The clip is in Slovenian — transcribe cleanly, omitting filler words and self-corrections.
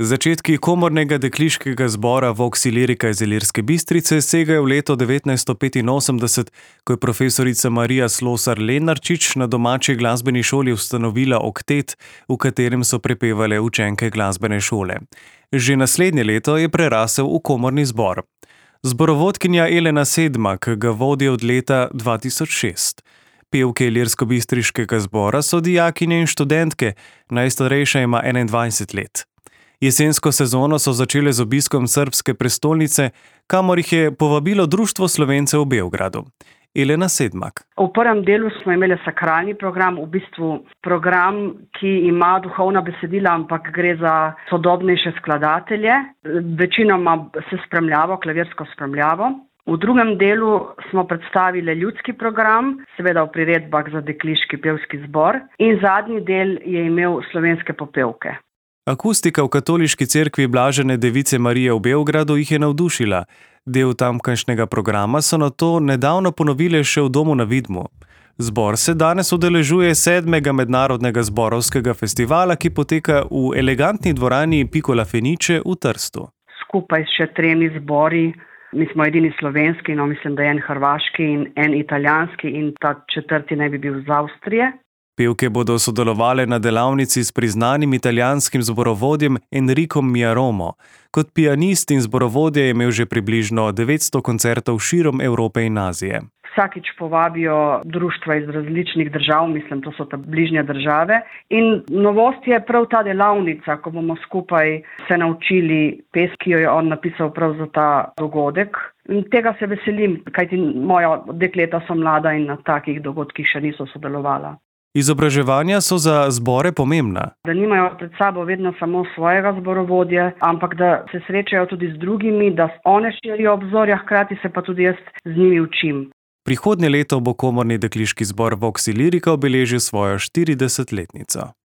Začetki komornega dekliškega zbora Vox Illyrica iz Ilirske Bistrice segajo v leto 1985, ko je profesorica Marija Slosar Lenarčič na domači glasbeni šoli ustanovila oktet, v katerem so prepevale učenke glasbene šole. Že naslednje leto je prerasel v komorni zbor. Zborovodkinja Elena Sedmak ga vodi od leta 2006. Pevke Ilirskobistriškega zbora so dijakinje in študentke, najstarejša ima 21 let. Jesensko sezono so začele z obiskom srbske prestolnice, kamor jih je povabilo Društvo Slovencev v Beogradu. Elena Sedmak. V prvem delu smo imeli sakralni program, v bistvu program, ki ima duhovna besedila, ampak gre za sodobnejše skladatelje. Večinoma se spremljavo, klavirsko spremljavo. V drugem delu smo predstavili ljudski program, seveda v priredbah za dekliški pevski zbor, in zadnji del je imel slovenske popevke. Akustika v katoliški cerkvi Blažene Device Marije v Beogradu jih je navdušila. Del tamkajšnjega programa so nato nedavno ponovile še v Domu na Vidmu. Zbor se danes udeležuje 7. mednarodnega zborovskega festivala, ki poteka v elegantni dvorani Piccola Fenice v Trstu. Skupaj s še 3 zbori, mi smo edini slovenski, mislim, da je en hrvaški in en italijanski in ta 4. naj bi bil iz Avstrije. Pevke bodo sodelovale na delavnici s priznanim italijanskim zborovodjem Enricom Miaromo. Kot pianist in zborovodje je imel že približno 900 koncertov širom Evrope in Azije. Vsakič povabijo društva iz različnih držav, mislim, to so ta bližnje države. In novost je prav ta delavnica, ko bomo skupaj se naučili pesmi, ki jo je on napisal prav za ta dogodek. In tega se veselim, kajti moja dekleta so mlada in na takih dogodkih še niso sodelovala. Izobraževanja so za zbore pomembna. Da nimajo pred sabo vedno samo svojega zborovodje, ampak da se srečajo tudi z drugimi, da one širijo obzorja, hkrati se pa tudi jaz z njimi učim. Prihodnje leto bo komorni dekliški zbor Vox Illyrica obeležil svojo 40-letnico.